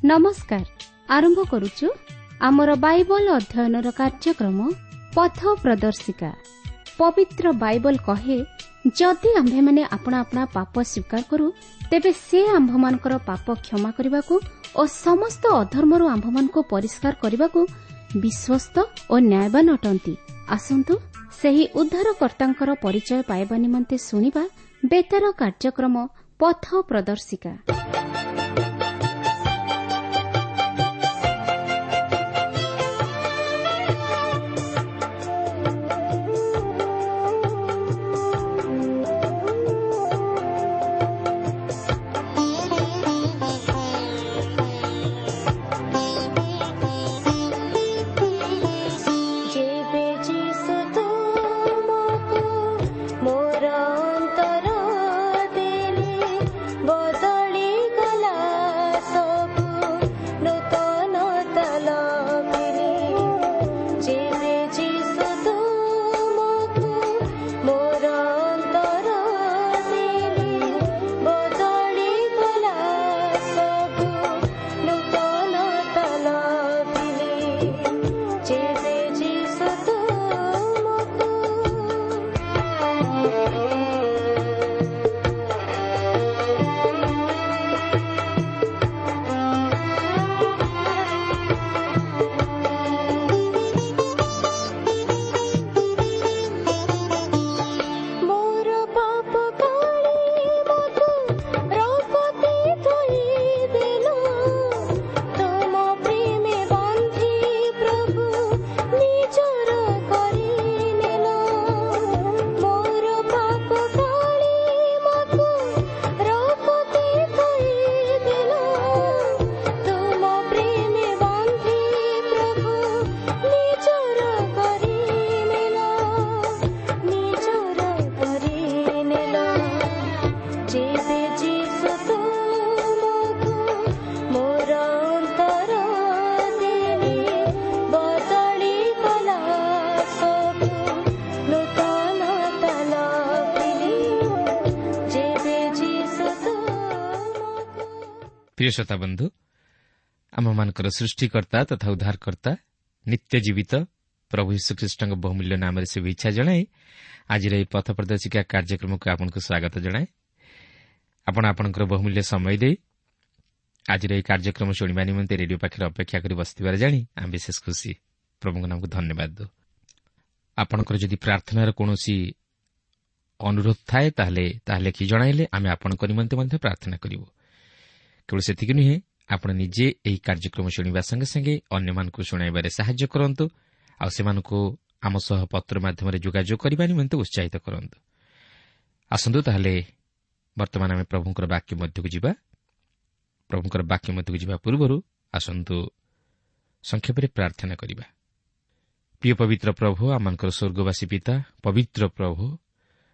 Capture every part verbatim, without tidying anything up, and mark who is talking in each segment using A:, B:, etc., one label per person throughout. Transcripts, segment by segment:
A: ନମସ୍କାର। ଆରମ୍ଭ କରୁଛୁ ଆମର ବାଇବଲ ଅଧ୍ୟୟନର କାର୍ଯ୍ୟକ୍ରମ ପଥ ପ୍ରଦର୍ଶିକା। ପବିତ୍ର ବାଇବଲ କହେ, ଯଦି ଆମ୍ଭେମାନେ ଆପଣା ଆପଣା ପାପ ସ୍ୱୀକାର କରୁ, ତେବେ ସେ ଆମ୍ଭମାନଙ୍କର ପାପ କ୍ଷମା କରିବାକୁ ଓ ସମସ୍ତ ଅଧର୍ମରୁ ଆମ୍ଭମାନଙ୍କୁ ପରିଷ୍କାର କରିବାକୁ ବିଶ୍ୱସ୍ତ ଓ ନ୍ୟାୟବାନ ଅଟନ୍ତି। ଆସନ୍ତୁ ସେହି ଉଦ୍ଧାରକର୍ତ୍ତାଙ୍କର ପରିଚୟ ପାଇବା ନିମନ୍ତେ ଶୁଣିବା ବେତାର କାର୍ଯ୍ୟକ୍ରମ ପଥ ପ୍ରଦର୍ଶିକା।
B: ଯେବେ ଯିଶୁ ତୁମକୁ ମୋର ଅନ୍ତର ଦେଲେ, ବଦଳି ଗଲା ସବୁ, ନୂତନତା ଲଭିଲି। ଯେବେ ଯିଶୁ ତୁମକୁ ମୋର ଅନ୍ତର ଦେଲେ, ବଦଳି ଗଲା ସବୁ, ନୂତନତା ଲଭିଲି। ଯେବେ ଯିଶୁ ତୁମକୁ। ମୋର ପାପ କାଳି ମକୁ ରକତେ ଧୋଇ ଦେଲ, ତୁମ ପ୍ରେମେ ବାନ୍ଧି ପ୍ରଭୁ ନିଜର କରିନେଲ। ମୋର ପାପ କାଳି ମକୁ ରକତେ ଧୋଇ ଦେଲ, ତୁମ ପ୍ରେମେ ବାନ୍ଧି ପ୍ରଭୁ ନିଜର କରିନେଲ, ନିଜର କରିନେଲ। ଯେବେ ଯିଶୁ ତୁମକୁ ମୋର ଅନ୍ତର ଦେଲେ, ବଦଳି ଗଲା ସବୁ, ନୂତନତା ଲଭିଲି। ଯେବେ ଯିଶୁ ତୁମକୁ।
C: ପ୍ରିୟ ଶ୍ରୋତା ବନ୍ଧୁ, ଆମମାନଙ୍କର ସୃଷ୍ଟିକର୍ତ୍ତା ତଥା ଉଦ୍ଧାରକର୍ତ୍ତା ନିତ୍ୟ ଜୀବିତ ପ୍ରଭୁ ଯୀଶୁଖ୍ରୀଷ୍ଟଙ୍କ ବହୁମୂଲ୍ୟ ନାମରେ ଶୁଭେଚ୍ଛା ଜଣାଇ ଆଜିର ଏହି ପଥ ପ୍ରଦର୍ଶିକା କାର୍ଯ୍ୟକ୍ରମକୁ ଆପଣଙ୍କୁ ସ୍ୱାଗତ ଜଣାଏ। ଆପଣ ଆପଣଙ୍କର ବହୁମୂଲ୍ୟ ସମୟ ଦେଇ ଆଜିର ଏହି କାର୍ଯ୍ୟକ୍ରମ ଶୁଣିବା ନିମନ୍ତେ ରେଡିଓ ପାଖରେ ଅପେକ୍ଷା କରି ବସିଥିବାର ଜାଣି ଆମେ ବିଶେଷ ଖୁସି। ପ୍ରଭୁଙ୍କ ନାମକୁ ଧନ୍ୟବାଦ ଦେଉ। ଆପଣଙ୍କର ଯଦି ପ୍ରାର୍ଥନାର କୌଣସି ଅନୁରୋଧ ଥାଏ, ତାହେଲେ ତାହା ଲେଖି ଜଣାଇଲେ ଆମେ ଆପଣଙ୍କ ନିମନ୍ତେ ମଧ୍ୟ ପ୍ରାର୍ଥନା କରିବୁ। କେବଳ ସେତିକି ନୁହେଁ, ଆପଣ ନିଜେ ଏହି କାର୍ଯ୍ୟକ୍ରମ ଶୁଣିବା ସଙ୍ଗେ ସଙ୍ଗେ ଅନ୍ୟମାନଙ୍କୁ ଶୁଣାଇବାରେ ସାହାଯ୍ୟ କରନ୍ତୁ ଆଉ ସେମାନଙ୍କୁ ଆମ ସହ ପତ୍ର ମାଧ୍ୟମରେ ଯୋଗାଯୋଗ କରିବା ନିମନ୍ତେ ଉତ୍ସାହିତ କରନ୍ତୁ। ଆସନ୍ତୁ ତାହେଲେ ବର୍ତ୍ତମାନ ଆମେ ପ୍ରଭୁଙ୍କର ବାକ୍ୟ ମଧ୍ୟକୁ ଯିବା। ପ୍ରଭୁଙ୍କର ବାକ୍ୟ ମଧ୍ୟକୁ ଯିବା ପୂର୍ବରୁ ଆସନ୍ତୁ ସଂକ୍ଷେପରେ ପ୍ରାର୍ଥନା କରିବା। ପ୍ରିୟ ପବିତ୍ର ପ୍ରଭୁ, ଆମମାନଙ୍କର ସ୍ୱର୍ଗବାସୀ ପିତା, ପବିତ୍ର ପ୍ରଭୁ,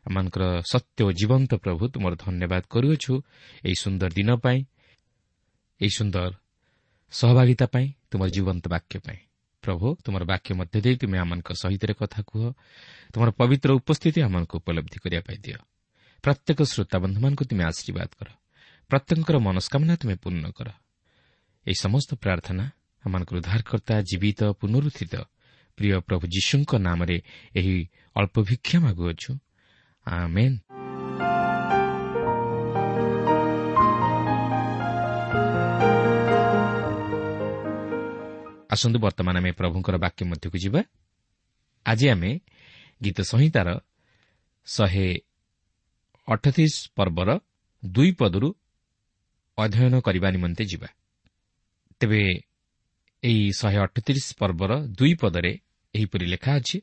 C: ଆମମାନଙ୍କର ସତ୍ୟ ଓ ଜୀବନ୍ତ ପ୍ରଭୁ, ତୁମର ଧନ୍ୟବାଦ କରୁଅଛୁ ଏହି ସୁନ୍ଦର ଦିନ ପାଇଁ, ଏହି ସୁନ୍ଦର ସହଭାଗିତା ପାଇଁ, ତୁମର ଜୀବନ୍ତ ବାକ୍ୟ ପାଇଁ। ପ୍ରଭୁ, ତୁମର ବାକ୍ୟ ମଧ୍ୟ ଦେଇ ତୁମେ ଆମମାନଙ୍କ ସହିତ କଥା କୁହ। ତୁମର ପବିତ୍ର ଉପସ୍ଥିତି ଆମମାନଙ୍କୁ ଉପଲବ୍ଧି କରିବା ପାଇଁ ଦିଅ। ପ୍ରତ୍ୟେକ ଶ୍ରୋତାବନ୍ଧୁମାନଙ୍କୁ ତୁମେ ଆଶୀର୍ବାଦ କର। ପ୍ରତ୍ୟେକଙ୍କର ମନସ୍କାମନା ତୁମେ ପୂର୍ଣ୍ଣ କର। ଏହି ସମସ୍ତ ପ୍ରାର୍ଥନା ଆମମାନଙ୍କର ଉଦ୍ଧାରକର୍ତ୍ତା ଜୀବିତ ପୁନରୁତ୍ଥିତ ପ୍ରିୟ ପ୍ରଭୁ ଯୀଶୁଙ୍କ ନାମରେ ଏହି ଅଳ୍ପ ଭିକ୍ଷା ମାଗୁଅଛୁ, ଆମେନ୍। ଆସନ୍ତୁ ବର୍ତ୍ତମାନ ଆମେ ପ୍ରଭୁଙ୍କର ବାକ୍ୟ ମଧ୍ୟକୁ ଯିବା। ଆଜି ଆମେ ଗୀତ ସଂହିତାର ଶହେ ଅଠତିରିଶ ପର୍ବର ଦୁଇ ପଦରୁ ଅଧ୍ୟୟନ କରିବା ନିମନ୍ତେ ଯିବା। ତେବେ ଏହି ଶହେ ଅଠତିରିଶ ପର୍ବର ଦୁଇ ପଦରେ ଏହିପରି ଲେଖା ଅଛି,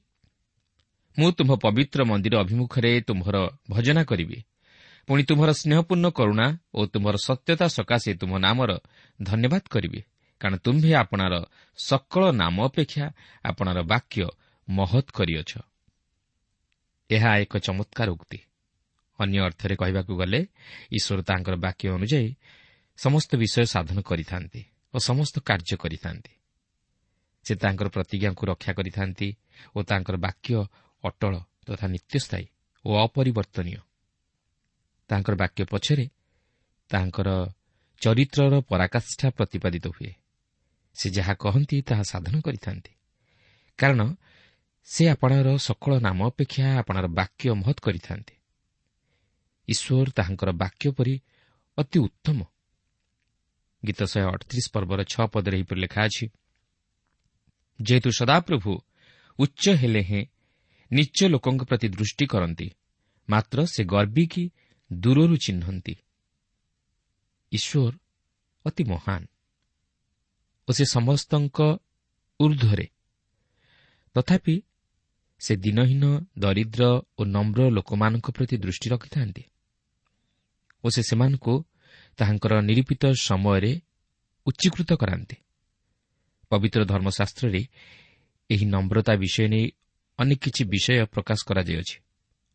C: ମୁଁ ତୁମ୍ଭ ପବିତ୍ର ମନ୍ଦିର ଅଭିମୁଖରେ ତୁମ୍ଭର ଭଜନା କରିବି, ପୁଣି ତୁମ୍ଭର ସ୍ନେହପୂର୍ଣ୍ଣ କରୁଣା ଓ ତୁମ୍ଭର ସତ୍ୟତା ସକାଶେ ତୁମ୍ଭ ନାମର ଧନ୍ୟବାଦ କରିବି, କାରଣ ତୁମ୍ଭେ ଆପଣାର ସକଳ ନାମ ଅପେକ୍ଷା ଆପଣାର ବାକ୍ୟ ମହତ୍ କରିଅଛ। ଏହା ଏକ ଚମତ୍କାର ଉକ୍ତି। ଅନ୍ୟ ଅର୍ଥରେ କହିବାକୁ ଗଲେ ଈଶ୍ୱର ତାଙ୍କର ବାକ୍ୟ ଅନୁଯାୟୀ ସମସ୍ତ ବିଷୟ ସାଧନ କରିଥାନ୍ତି ଓ ସମସ୍ତ କାର୍ଯ୍ୟ କରିଥାନ୍ତି। ସେ ତାଙ୍କର ପ୍ରତିଜ୍ଞାକୁ ରକ୍ଷା କରିଥାନ୍ତି ଓ ତାଙ୍କର ବାକ୍ୟ ଅଟଳ ତଥା ନିତ୍ୟସ୍ଥାୟୀ ଓ ଅପରିବର୍ତ୍ତନୀୟ। ତାଙ୍କର ବାକ୍ୟ ପଛରେ ତାଙ୍କର ଚରିତ୍ରର ପରାକାଷ୍ଠା ପ୍ରତିପାଦିତ ହୁଏ। ସେ ଯାହା କହନ୍ତି ତାହା ସାଧନ କରିଥାନ୍ତି, କାରଣ ସେ ଆପଣାର ସକଳ ନାମ ଅପେକ୍ଷା ଆପଣାର ବାକ୍ୟ ମହତ୍ କରିଥାନ୍ତି। ଈଶ୍ୱର ତାହାଙ୍କର ବାକ୍ୟ ପରି ଅତି ଉତ୍ତମ। ଗୀତ ଶହେ ଅଠତିରିଶ ପର୍ବର ଛଅ ପଦରେ ଏହିପରି ଲେଖା ଅଛି, ଯେହେତୁ ସଦାପ୍ରଭୁ ଉଚ୍ଚ ହେଲେ ହେଁ ନିଚ ଲୋକଙ୍କ ପ୍ରତି ଦୃଷ୍ଟି କରନ୍ତି, ମାତ୍ର ସେ ଗର୍ବିକି ଦୂରରୁ ଚିହ୍ନନ୍ତି। ଈଶ୍ୱର ଅତି ମହାନ ଓ ସେ ସମସ୍ତଙ୍କ ଊର୍ଦ୍ଧ୍ୱରେ, ତଥାପି ସେ ଦିନହୀନ, ଦରିଦ୍ର ଓ ନମ୍ର ଲୋକମାନଙ୍କ ପ୍ରତି ଦୃଷ୍ଟି ରଖିଥାନ୍ତି ଓ ସେ ସେମାନଙ୍କୁ ତାହାଙ୍କର ନିରୂପିତ ସମୟରେ ଉଚ୍ଚୀକୃତ କରାନ୍ତି। ପବିତ୍ର ଧର୍ମଶାସ୍ତ୍ରରେ ଏହି ନମ୍ରତା ବିଷୟ ନେଇ ଅନେକ କିଛି ବିଷୟ ପ୍ରକାଶ କରାଯାଇଅଛି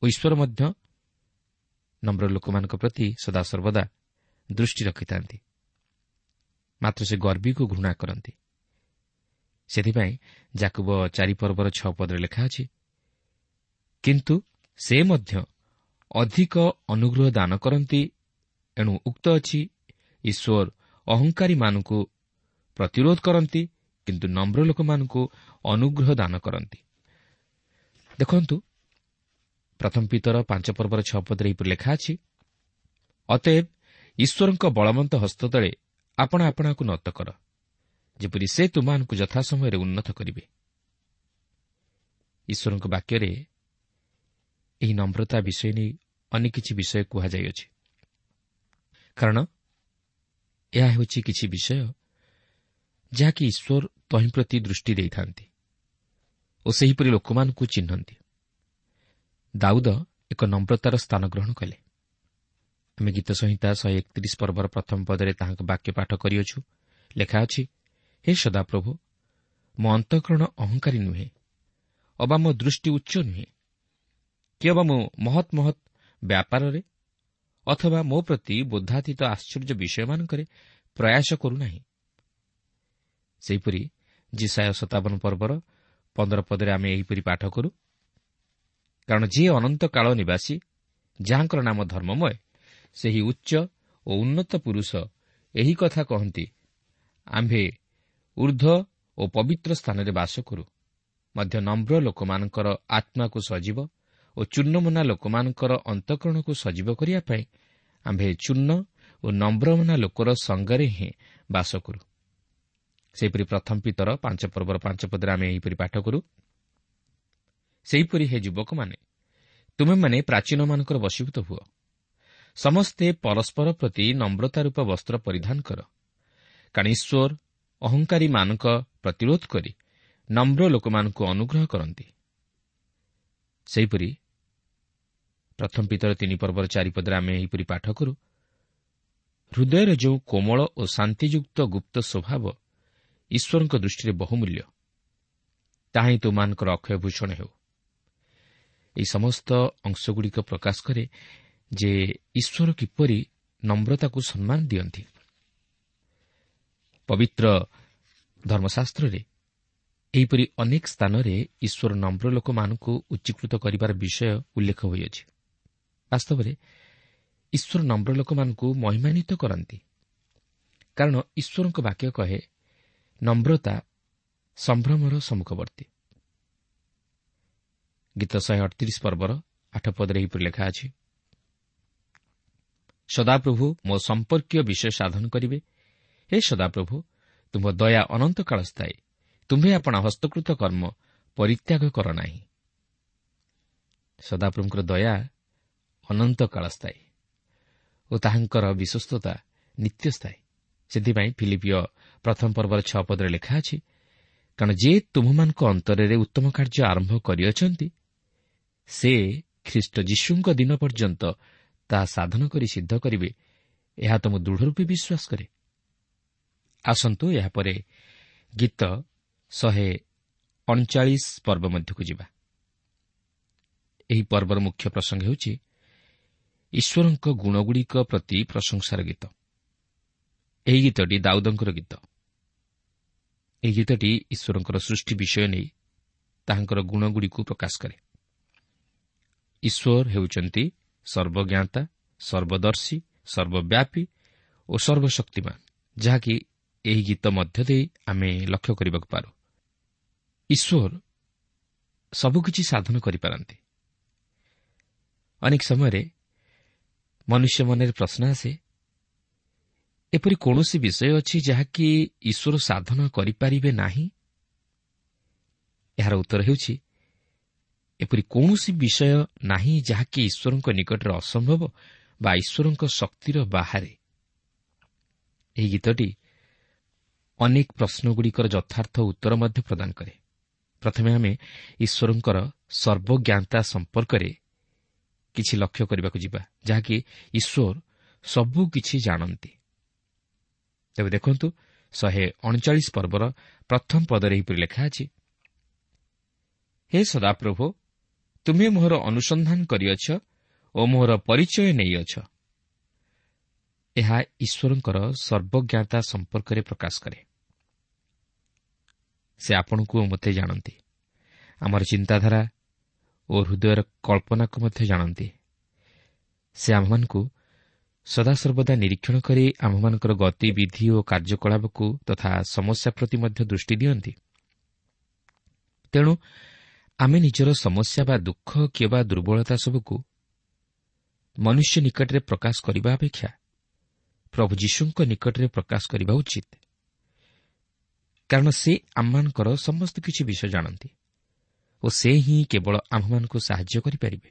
C: ଓ ଈଶ୍ୱର ମଧ୍ୟ ନମ୍ର ଲୋକମାନଙ୍କ ପ୍ରତି ସଦାସର୍ବଦା ଦୃଷ୍ଟି ରଖିଥାନ୍ତି, ମାତ୍ର ସେ ଗର୍ବୀକୁ ଘୃଣା କରନ୍ତି। ସେଥିପାଇଁ ଯାକୁବ ଚାରି ପର୍ବର ଛଅ ପଦରେ ଲେଖା ଅଛି, କିନ୍ତୁ ସେ ମଧ୍ୟ ଅଧିକ ଅନୁଗ୍ରହ ଦାନ କରନ୍ତି, ଏଣୁ ଉକ୍ତ ଅଛି, ଈଶ୍ୱର ଅହଙ୍କାରୀମାନଙ୍କୁ ପ୍ରତିରୋଧ କରନ୍ତି, କିନ୍ତୁ ନମ୍ର ଲୋକମାନଙ୍କୁ ଅନୁଗ୍ରହ ଦାନ କରନ୍ତି। ଦେଖନ୍ତୁ, ପ୍ରଥମ ପିତର ପାଞ୍ଚ ପର୍ବର ଛଅ ପଦରେ ଏହିପରି ଲେଖା ଅଛି, ଅତଏବ ଈଶ୍ୱରଙ୍କ ବଳବନ୍ତ ହସ୍ତତଳେ ଆପଣ ଆପଣାକୁ ନତ କର, ଯେପରି ସେ ତୁମମାନଙ୍କୁ ଯଥାସମୟରେ ଉନ୍ନତ କରିବେ। ଈଶ୍ୱରଙ୍କ ବାକ୍ୟରେ ଏହି ନମ୍ରତା ବିଷୟ ନେଇ ଅନେକ କିଛି ବିଷୟ କୁହାଯାଇଅଛି, କାରଣ ଏହା ହେଉଛି କିଛି ବିଷୟ ଯାହାକି ଈଶ୍ୱର ତହିଁ ପ୍ରତି ଦୃଷ୍ଟି ଦେଇଥାନ୍ତି ଓ ସେହିପରି ଲୋକମାନଙ୍କୁ ଚିହ୍ନନ୍ତି। ଦାଉଦ ଏକ ନମ୍ରତାର ସ୍ଥାନ ଗ୍ରହଣ କଲେ। ଆମେ ଗୀତ ସଂହିତା ଶହେ ଏକତିରିଶ ପର୍ବର ପ୍ରଥମ ପଦରେ ତାହାଙ୍କ ବାକ୍ୟ ପାଠ କରିଅଛୁ। ଲେଖା ଅଛି, ହେ ସଦାପ୍ରଭୁ, ମୋ ଅନ୍ତଃକରଣ ଅହଙ୍କାରୀ ନୁହେଁ, ଅବା ମୋ ଦୃଷ୍ଟି ଉଚ୍ଚ ନୁହେଁ, କି ଅବା ମୁଁ ମହତ୍ ମହତ୍ ବ୍ୟାପାରରେ ଅଥବା ମୋ ପ୍ରତି ବୋଧାତୀତ ଆଶ୍ଚର୍ଯ୍ୟ ବିଷୟମାନଙ୍କରେ ପ୍ରୟାସ କରୁନାହିଁ। ସେହିପରି ଯିଶାଇୟ ସତାବନ ପର୍ବର ପନ୍ଦର ପଦରେ ଆମେ ଏହିପରି ପାଠ କରୁ, କାରଣ ଯିଏ ଅନନ୍ତ କାଳ ନିବାସୀ, ଯାହାଙ୍କର ନାମ ଧର୍ମମୟ, ସେହି ଉଚ୍ଚ ଓ ଉନ୍ନତ ପୁରୁଷ ଏହି କଥା କହନ୍ତି, ଆମ୍ଭେ ଊର୍ଦ୍ଧ୍ୱ ଓ ପବିତ୍ର ସ୍ଥାନରେ ବାସ କରୁ, ମଧ୍ୟ ନମ୍ର ଲୋକମାନଙ୍କର ଆତ୍ମାକୁ ସଜୀବ ଓ ଚୂର୍ଣ୍ଣମନା ଲୋକମାନଙ୍କର ଅନ୍ତଃକରଣକୁ ସଜୀବ କରିବା ପାଇଁ ଆମ୍ଭେ ଚୂର୍ଣ୍ଣ ଓ ନମ୍ରମନା ଲୋକର ସଙ୍ଗରେ ହିଁ ବାସ କରୁ। ସେହିପରି ପ୍ରଥମ ପିତର ପାଞ୍ଚ ପର୍ବର ପାଞ୍ଚ ପଦରେ ଆମେ ଏହିପରି ପାଠ କରୁ, ସେହିପରି ହେ ଯୁବକମାନେ, ତୁମେମାନେ ପ୍ରାଚୀନମାନଙ୍କର ବଶୀଭୂତ ହୁଅ, ସମସ୍ତେ ପରସ୍ପର ପ୍ରତି ନମ୍ରତା ରୂପ ବସ୍ତ୍ର ପରିଧାନ କର, କାରଣ ଈଶ୍ୱର ଅହଙ୍କାରୀମାନଙ୍କ ପ୍ରତିରୋଧ କରି ନମ୍ର ଲୋକମାନଙ୍କୁ ଅନୁଗ୍ରହ କରନ୍ତି। ସେହିପରି ପ୍ରଥମ ପିତର ତିନି ପର୍ବର ଚାରିପଦରେ ଆମେ ଏହିପରି ପାଠ କରୁ, ହୃଦୟର ଯେଉଁ କୋମଳ ଓ ଶାନ୍ତିଯୁକ୍ତ ଗୁପ୍ତ ସ୍ୱଭାବ ଈଶ୍ୱରଙ୍କ ଦୃଷ୍ଟିରେ ବହୁମୂଲ୍ୟ, ତାହା ହିଁ ତୁମମାନଙ୍କର ଅକ୍ଷୟ ଭୂଷଣ ହେଉ। ଏହି ସମସ୍ତ ଅଂଶଗୁଡ଼ିକ ପ୍ରକାଶ କରେ ଯେ ଈଶ୍ୱର କିପରି ନମ୍ରତାକୁ ସମ୍ମାନ ଦିଅନ୍ତି। ପବିତ୍ର ଧର୍ମଶାସ୍ତ୍ରରେ ଏହିପରି ଅନେକ ସ୍ଥାନରେ ଈଶ୍ୱର ନମ୍ର ଲୋକମାନଙ୍କୁ ଉଚ୍ଚୀକୃତ କରିବାର ବିଷୟ ଉଲ୍ଲେଖ ହୋଇଅଛି। ବାସ୍ତବରେ ଈଶ୍ୱର ନମ୍ର ଲୋକମାନଙ୍କୁ ମହିମାନ୍ୱିତ କରନ୍ତି, କାରଣ ଈଶ୍ୱରଙ୍କ ବାକ୍ୟ କହେ ନମ୍ରତା ସମ୍ଭ୍ରମର ସମ୍ମୁଖବର୍ତ୍ତୀ। ଗୀତ ଶହେ ଅଠତିରିଶ ପର୍ବର ଆଠ ପଦରେ ଏହିପରି ଲେଖା ଅଛି, ସଦାପ୍ରଭୁ ମୋ ସମ୍ପର୍କୀୟ ବିଷୟ ସାଧନ କରିବେ। ହେ ସଦାପ୍ରଭୁ, ତୁମ୍ଭ ଦୟା ଅନନ୍ତକାଳ ସ୍ଥାୟୀ, ତୁମ୍ଭେ ଆପଣା ହସ୍ତକୃତ କର୍ମ ପରିତ୍ୟାଗ କର ନାହିଁ। ସଦାପ୍ରଭୁଙ୍କର ଦୟା ଅନନ୍ତକାଳ ସ୍ଥାୟୀ ଓ ତାହାଙ୍କର ବିଶ୍ୱସ୍ତତା ନିତ୍ୟସ୍ଥାୟୀ। ସେଥିପାଇଁ ଫିଲିପିୟ ପ୍ରଥମ ପର୍ବର ଛଅ ପଦରେ ଲେଖା ଅଛି, କାରଣ ଯେ ତୁମ୍ଭମାନଙ୍କ ଅନ୍ତରରେ ଉତ୍ତମ କାର୍ଯ୍ୟ ଆରମ୍ଭ କରିଅଛନ୍ତି, ସେ ଖ୍ରୀଷ୍ଟ ଯୀଶୁଙ୍କ ଦିନ ପର୍ଯ୍ୟନ୍ତ ତାହା ସାଧନ କରି ସିଦ୍ଧ କରିବେ, ଏହା ତ ମୁଁ ଦୃଢ଼ ରୂପେ ବିଶ୍ୱାସ କରେ। ଆସନ୍ତୁ ଏହାପରେ ଗୀତ ଶହେ ଅଣଚାଳିଶ ପର୍ବ ମଧ୍ୟକୁ ଯିବା। ଏହି ପର୍ବର ମୁଖ୍ୟ ପ୍ରସଙ୍ଗ ହେଉଛି ଈଶ୍ୱରଙ୍କ ଗୁଣଗୁଡ଼ିକ ପ୍ରତି ପ୍ରଶଂସାର ଗୀତ। ଏହି ଗୀତଟି ଦାଉଦଙ୍କର ଗୀତ। ଏହି ଗୀତଟି ଈଶ୍ୱରଙ୍କର ସୃଷ୍ଟି ବିଷୟ ନେଇ ତାହାଙ୍କର ଗୁଣଗୁଡ଼ିକୁ ପ୍ରକାଶ କରେ। ଈଶ୍ୱର ହେଉଛନ୍ତି ସର୍ବଜ୍ଞାତା, ସର୍ବଦର୍ଶୀ, ସର୍ବବ୍ୟାପୀ ଓ ସର୍ବଶକ୍ତିମାନ, ଯାହାକି ଏହି ଗୀତ ମଧ୍ୟ ଦେଇ ଆମେ ଲକ୍ଷ୍ୟ କରିବାକୁ ପାରୁ। ଈଶ୍ୱର ସବୁକିଛି ସାଧନ କରିପାରନ୍ତି। ଅନେକ ସମୟରେ ମନୁଷ୍ୟ ମନରେ ପ୍ରଶ୍ନ ଆସେ, ଏପରି କୌଣସି ବିଷୟ ଅଛି ଯାହାକି ଈଶ୍ୱର ସାଧନ କରିପାରିବେ ନାହିଁ? ଏହାର ଉତ୍ତର ହେଉଛି, ଏପରି କୌଣସି ବିଷୟ ନାହିଁ ଯାହାକି ଈଶ୍ୱରଙ୍କ ନିକଟରେ ଅସମ୍ଭବ ବା ଈଶ୍ୱରଙ୍କ ଶକ୍ତିର ବାହାରେ। ଏହି ଗୀତଟି ଅନେକ ପ୍ରଶ୍ନଗୁଡ଼ିକର ଯଥାର୍ଥ ଉତ୍ତର ମଧ୍ୟ ପ୍ରଦାନ କରେ। ପ୍ରଥମେ ଆମେ ଈଶ୍ୱରଙ୍କର ସର୍ବଜ୍ଞାତା ସମ୍ପର୍କରେ କିଛି ଲକ୍ଷ୍ୟ କରିବାକୁ ଯିବା, ଯାହାକି ଈଶ୍ୱର ସବୁକିଛି ଜାଣନ୍ତି। ତେବେ ଦେଖନ୍ତୁ, ଶହେ ଅଣଚାଳିଶ ପର୍ବର ପ୍ରଥମ ପଦରେ ଏହିପରି ଲେଖା ଅଛି, ହେ ସଦାପ୍ରଭୁ, ତୁମେ ମୋହର ଅନୁସନ୍ଧାନ କରିଅଛ ଓ ମୋହର ପରିଚୟ ନେଇଅଛ। ଏହା ଈଶ୍ୱରଙ୍କର ସର୍ବଜ୍ଞାତା ସମ୍ପର୍କରେ ପ୍ରକାଶ କରେ। ସେ ଆପଣଙ୍କୁ ଓ ମୋତେ ଜାଣନ୍ତି, ଆମର ଚିନ୍ତାଧାରା ଓ ହୃଦୟର କଳ୍ପନାକୁ ମଧ୍ୟ ଜାଣନ୍ତି। ସେ ଆମ୍ଭମାନଙ୍କୁ ସଦାସର୍ବଦା ନିରୀକ୍ଷଣ କରି ଆମ୍ଭମାନଙ୍କର ଗତିବିଧି ଓ କାର୍ଯ୍ୟକଳାପକୁ ତଥା ସମସ୍ୟା ପ୍ରତି ମଧ୍ୟ ଦୃଷ୍ଟି ଦିଅନ୍ତି। ତେଣୁ ଆମେ ନିଜର ସମସ୍ୟା ବା ଦୁଃଖ କିମ୍ବା ଦୁର୍ବଳତା ସବୁକୁ ମନୁଷ୍ୟ ନିକଟରେ ପ୍ରକାଶ କରିବା ଅପେକ୍ଷା ପ୍ରଭୁ ଯୀଶୁଙ୍କ ନିକଟରେ ପ୍ରକାଶ କରିବା ଉଚିତ, କାରଣ ସେ ଆମମାନଙ୍କର ସମସ୍ତ କିଛି ବିଷୟ ଜାଣନ୍ତି ଓ ସେ ହିଁ କେବଳ ଆମ୍ଭମାନଙ୍କୁ ସାହାଯ୍ୟ କରିପାରିବେ।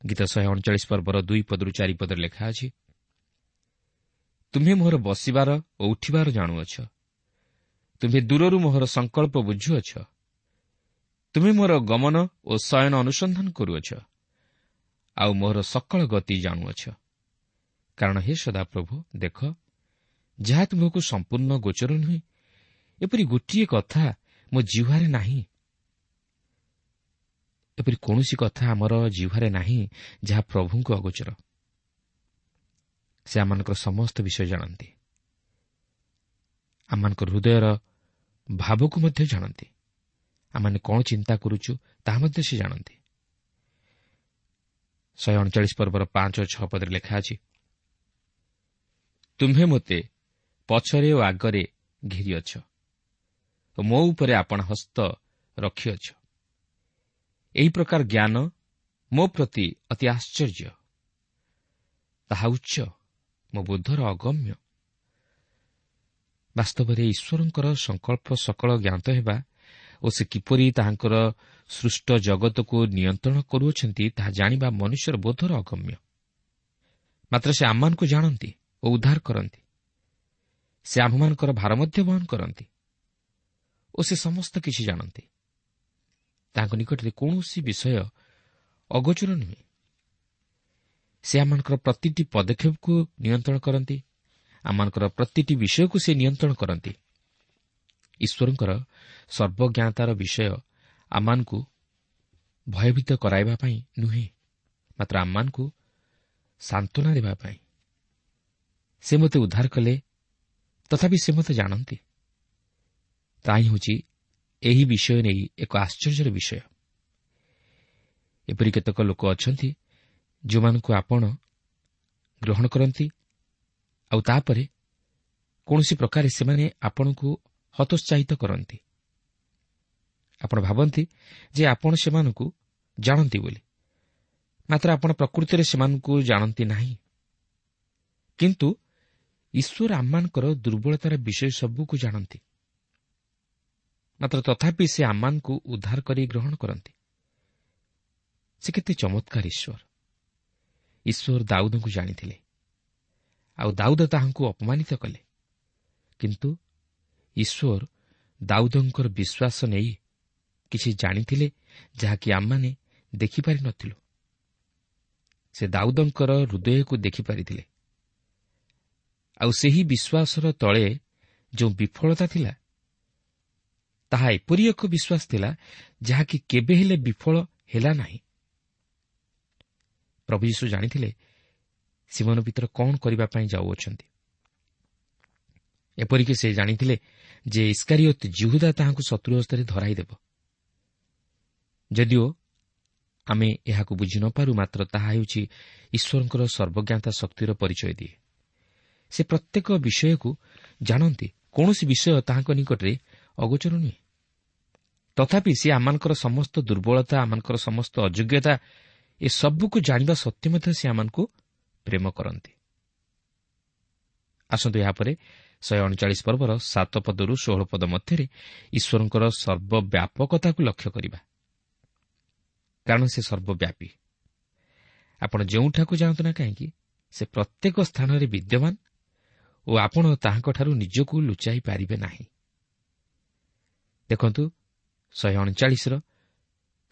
C: ଗୀତ ଶହେ ଅଣଚାଳିଶ ପର୍ବର ଦୁଇ ପଦରୁ ଚାରି ପଦରେ ଲେଖା ଅଛି, ତୁମ୍ଭେ ମୋହର ବସିବାର ଓ ଉଠିବାର ଜାଣୁଅଛ, ତୁମ୍ଭେ ଦୂରରୁ ମୋହର ସଂକଳ୍ପ ବୁଝୁଅଛ, ତୁମେ ମୋର ଗମନ ଓ ଶୟନ ଅନୁସନ୍ଧାନ କରୁଅଛ, ଆଉ ମୋହର ସକଳ ଗତି ଜାଣୁଅଛ। କାରଣ ହେ ସଦାପ୍ରଭୁ, ଦେଖ, ଯାହା ତୁମ୍ଭକୁ ସମ୍ପୂର୍ଣ୍ଣ ଗୋଚର ନୁହେଁ, ଏପରି ଗୋଟିଏ କଥା ମୋ ଜିହ୍ୱାରେ ନାହିଁ। ଏପରି କୌଣସି କଥା ଆମର ଜିହ୍ୱାରେ ନାହିଁ ଯାହା ପ୍ରଭୁଙ୍କୁ ଅଗୋଚର। ସେ ଆମମାନଙ୍କର ସମସ୍ତ ବିଷୟ ଜାଣନ୍ତି, ଆମମାନଙ୍କର ହୃଦୟର ଭାବକୁ ମଧ୍ୟ ଜାଣନ୍ତି, ଆମମାନେ କ'ଣ ଚିନ୍ତା କରୁଛୁ ତାହା ମଧ୍ୟ ସେ ଜାଣନ୍ତି। ଶହେ ଅଣଚାଳିଶ ପର୍ବର ପାଞ୍ଚ ଓ ଛଅ ପଦରେ ଲେଖା ଅଛି, ତୁମ୍ଭେ ମୋତେ ପଛରେ ଓ ଆଗରେ ଘେରିଅଛ ଓ ମୋ ଉପରେ ଆପଣା ହସ୍ତ ରଖିଅଛ। ଏହି ପ୍ରକାର ଜ୍ଞାନ ମୋ ପ୍ରତି ଅତି ଆଶ୍ଚର୍ଯ୍ୟ, ତାହା ଉଚ୍ଚ, ମୋ ବୋଧର ଅଗମ୍ୟ। ବାସ୍ତବରେ ଈଶ୍ୱରଙ୍କର ସଂକଳ୍ପ ସକଳ ଜ୍ଞାତ ହେବା ଓ ସେ କିପରି ତାହାଙ୍କର ସୃଷ୍ଟ ଜଗତକୁ ନିୟନ୍ତ୍ରଣ କରୁଅଛନ୍ତି ତାହା ଜାଣିବା ମନୁଷ୍ୟର ବୋଧର ଅଗମ୍ୟ। ମାତ୍ର ସେ ଆମମାନଙ୍କୁ ଜାଣନ୍ତି ଓ ଉଦ୍ଧାର କରନ୍ତି। ସେ ଆମ୍ଭମାନଙ୍କର ଭାର ମଧ୍ୟ ବହନ କରନ୍ତି ଓ ସେ ସମସ୍ତ କିଛି ଜାଣନ୍ତି। ତାଙ୍କ ନିକଟରେ କୌଣସି ବିଷୟ ଅଗୋଚର ନୁହେଁ। ସେ ଆମମାନଙ୍କର ପ୍ରତିଟି ପଦକ୍ଷେପକୁ ନିୟନ୍ତ୍ରଣ କରନ୍ତି, ଆମମାନଙ୍କର ପ୍ରତିଟି ବିଷୟକୁ ସେ ନିୟନ୍ତ୍ରଣ କରନ୍ତି। ଈଶ୍ୱରଙ୍କର ସର୍ବଜ୍ଞାତାର ବିଷୟ ଆମମାନଙ୍କୁ ଭୟଭୀତ କରାଇବା ପାଇଁ ନୁହେଁ, ମାତ୍ର ଆମମାନଙ୍କୁ ସାନ୍ତ୍ୱନା ଦେବା ପାଇଁ। ସେ ମୋତେ ଉଦ୍ଧାର କଲେ, ତଥାପି ସେ ମୋତେ ଜାଣନ୍ତି। ତାହା ହିଁ ହେଉଛି ଏହି ବିଷୟ ନେଇ ଏକ ଆଶ୍ଚର୍ଯ୍ୟର ବିଷୟ। ଏପରି କେତେକ ଲୋକ ଅଛନ୍ତି ଯେଉଁମାନଙ୍କୁ ଆପଣ ଗ୍ରହଣ କରନ୍ତି, ଆଉ ତାପରେ କୌଣସି ପ୍ରକାରେ ସେମାନେ ଆପଣଙ୍କୁ ହତୋତ୍ସାହିତ କରନ୍ତି। ଆପଣ ଭାବନ୍ତି ଯେ ଆପଣ ସେମାନଙ୍କୁ ଜାଣନ୍ତି ବୋଲି, ମାତ୍ର ଆପଣ ପ୍ରକୃତିରେ ସେମାନଙ୍କୁ ଜାଣନ୍ତି ନାହିଁ। କିନ୍ତୁ ଈଶ୍ୱର ଆମମାନଙ୍କର ଦୁର୍ବଳତାର ବିଷୟ ସବୁକୁ ଜାଣନ୍ତି, ମାତ୍ର ତଥାପି ସେ ଆମମାନଙ୍କୁ ଉଦ୍ଧାର କରି ଗ୍ରହଣ କରନ୍ତି। ସେ କେତେ ଚମତ୍କାର ଈଶ୍ୱର! ଈଶ୍ୱର ଦାଉଦଙ୍କୁ ଜାଣିଥିଲେ, ଆଉ ଦାଉଦ ତାହାଙ୍କୁ ଅପମାନିତ କଲେ। କିନ୍ତୁ ଈଶ୍ୱର ଦାଉଦଙ୍କର ବିଶ୍ୱାସ ନେଇ କିଛି ଜାଣିଥିଲେ ଯାହାକି ଆମମାନେ ଦେଖିପାରିନଥିଲୁ। ସେ ଦାଉଦଙ୍କର ହୃଦୟକୁ ଦେଖିପାରିଥିଲେ, ଆଉ ସେହି ବିଶ୍ୱାସର ତଳେ ଯେଉଁ ବିଫଳତା ଥିଲା ତାହା ଏପରି ଏକ ବିଶ୍ୱାସ ଥିଲା ଯାହାକି କେବେ ହେଲେ ବିଫଳ ହେଲା ନାହିଁ। ପ୍ରଭୁ ଯୀଶୁ ଜାଣିଥିଲେ ସିମୋନ ପିତର କ'ଣ କରିବା ପାଇଁ ଯାଉଅଛନ୍ତି। ଏପରିକି ସେ ଜାଣିଥିଲେ ଯେ ଇସ୍କାରିୟୋତ ଯିହୁଦା ତାହାଙ୍କୁ ଶତ୍ରୁ ହସ୍ତରେ ଧରାଇଦେବ। ଯଦିଓ ଆମେ ଏହାକୁ ବୁଝି ନ ପାରୁ, ମାତ୍ର ତାହା ହେଉଛି ଈଶ୍ୱରଙ୍କର ସର୍ବଜ୍ଞାତା ଶକ୍ତିର ପରିଚୟ ଦିଏ। ସେ ପ୍ରତ୍ୟେକ ବିଷୟକୁ ଜାଣନ୍ତି, କୌଣସି ବିଷୟ ତାହାଙ୍କ ନିକଟରେ ଅଗୋଚର ନୁହେଁ। ତଥାପି ସେ ଆମମାନଙ୍କର ସମସ୍ତ ଦୁର୍ବଳତା, ଆମମାନଙ୍କର ସମସ୍ତ ଅଯୋଗ୍ୟତା ଏସବୁକୁ ଜାଣିବା ସତ୍ତ୍ୱେ ମଧ୍ୟ ସେ ଆମମାନଙ୍କୁ ପ୍ରେମ କରନ୍ତି। ଆସନ୍ତୁ ଏହାପରେ ଶହେ ଅଣଚାଳିଶ ପର୍ବର ସାତ ପଦରୁ ଷୋହଳ ପଦ ମଧ୍ୟରେ ଈଶ୍ୱରଙ୍କର ସର୍ବବ୍ୟାପକତାକୁ ଲକ୍ଷ୍ୟ କରିବା, କାରଣ ସେ ସର୍ବବ୍ୟାପୀ। ଆପଣ ଯେଉଁଠାକୁ ଯାଆନ୍ତୁ ନା କାହିଁକି, ସେ ପ୍ରତ୍ୟେକ ସ୍ଥାନରେ ବିଦ୍ୟମାନ ଓ ଆପଣ ତାହାଙ୍କଠାରୁ ନିଜକୁ ଲୁଚାଇ ପାରିବେ ନାହିଁ। ଦେଖନ୍ତୁ ଶହେ ଅଣଚାଳିଶର